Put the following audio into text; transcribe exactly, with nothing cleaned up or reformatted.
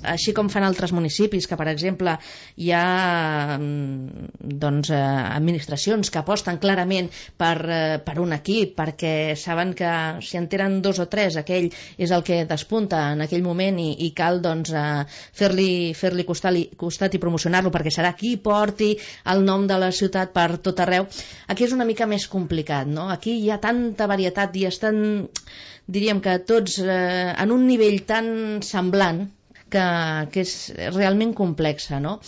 així com fan altres municipis, que per exemple hi ha doncs, administracions que aposten clarament per, per un equip, perquè saben que si en tenen dos o tres, aquell és el que despunta en aquell moment i, i cal doncs, fer-li fer-li costat, costat i promocionar-lo perquè serà qui porti el nom de la ciutat per tot arreu. Aquí és una mica més complicat, no? Aquí hi ha tanta varietat i estan, diríem que tots eh, en un nivell tan semblant que, que és realment complexa, no?